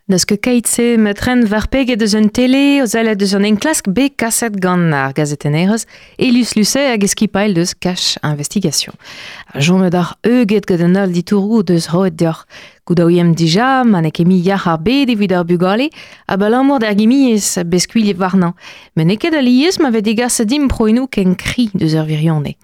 N'eus ket keit-se ma tren war peget eus un tele o sellet eus an enklask bet kaset gant ar gazetennerez Elus Lucet hag e skipailh deus Cash Investigation. Chomet ar euget gant an holl ditouroù deus roet deoc'h. Goudaouiemp dija ma n'eo ket mui yac'h ar bed evit ar bugale abalamour d'ar gimiezh bet skuilhet warnañ. Met n'eo ket alies ma vez degaset dimp proenoù ken kri deus ar wirionez.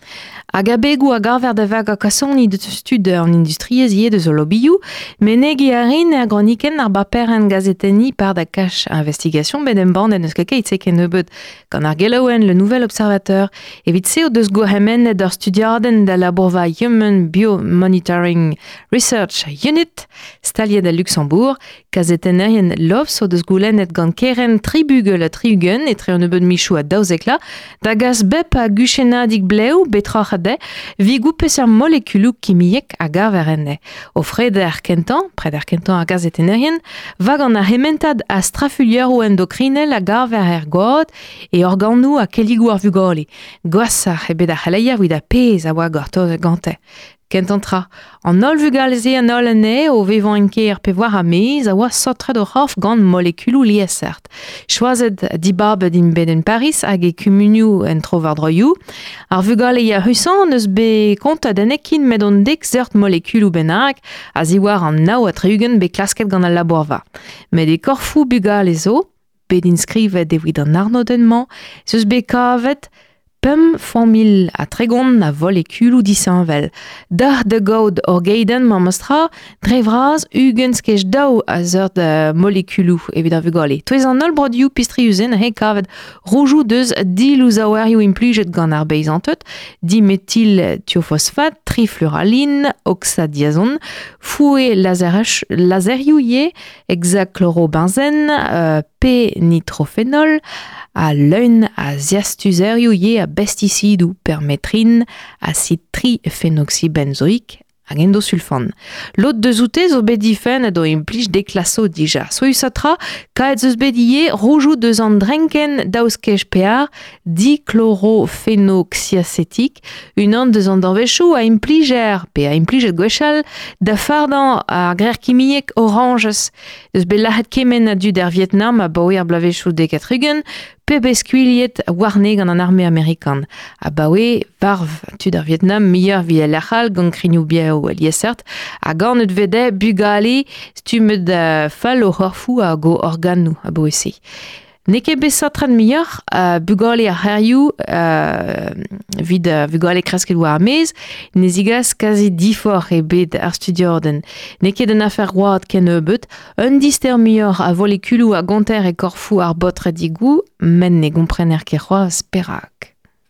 Hag abegoù a gaver da vagañ kasoni deus tud an industriezh ivez deus o lobioù. Menegiñ a rin er gronikenn ar baperenn gazetenniñ par da Cash Investigation bet embannet n'eus ket keit-se kennebeut gant ar gelaouenn Le Nouvel Observateur. Evit se o deus gourc'hemennet ur studiadenn da labourva Human Biomonitoring Research Unit staliet a Luxembourg. Kazetennerien L'Obs o deus goulennet gant kerent tri bugel ha 60 etre un nebeud michoù ha 12 da gas bep a guchennadig blev betroc'h dezhe 'vit goût peseurt molekuloù kimiek a gaver enne. O freder kentañ, preder kentañ ar gazetennerien, va gant ar c'hementad a strafuilheroù endokrinel a gaver er gwad e organoù ha kelligoù ar vugale. Gwashoc'h eo bet ar c'heleier evit ar pezh a oa gortozet gante. Kentañ tra, an holl vugale-se an holl anezhe o vevañ en kêr pe war ar maez a oa saotret o c'horf gant molekuloù liesseurt. Choazet dibabet int bet en Pariz hag e kumunioù en tro-war-droioù. Ar vugale yac'husañ n'eus bet kontet enne ken met an dek seurt molekuloù bennak a-ziwar an 69 bet klasket gant al labourva. Met e korfoù bugale zo, bet inskrivet evit an arnodenn-mañ, ez eus bet kavet pemp familh ha 30 a volekuloù disheñvel. Deoc'h da gaout ur geidenn memestra, dre vras 20 skej daou a seurt molekuloù evit ar vugale. Touez an holl broduioù pistrius-se he kavet roujoù deus dilouzaouerioù implijet gant ar beizanted, dimetil thiofosfat, trifluraline, oxadiazon, foue lazerioù ivez, hexachlorobenzen, p-nitrofenol, ha leun a ziastuzerioù ivez a bestisidoù permetrin, acid trifenoxybenzoic hag endosulfan. Lod deus oute zo bet difennet o implij deklaso dija. Souezhusat tra, kaet eus bet ivez roujoù deus an drenkenn daouskej pear dichlorophenoxyacetic, unan deus an danvezioù a implijer pe a implijet gwechall da fardañ ar grec'h kimiek orañjez. Eus bet lac'het kement a dud er Vietnam abaoe ar bloavezhioù 70 pe bet skuilhet warne gant an arme amerikan. Abaoe varv tud ar Vietnam muioc'h evit al lec'h all gant krignoù-bev liesseurt ha ganet vez bugale stummet fall o c'horfoù hag o organoù abaoe-se. N'eo ket bet saotret muioc'h bugale ar c'hêrioù evit bugale kresket war ar maez, ne zigas kazi diforc'h ebet ar studiadenn. N'eo ket un afer oad kennebeut, un dister muioc'h a volekuloù a gonter e korfoù ar baotredigoù, met ne gomprener ket c'hoazh perak.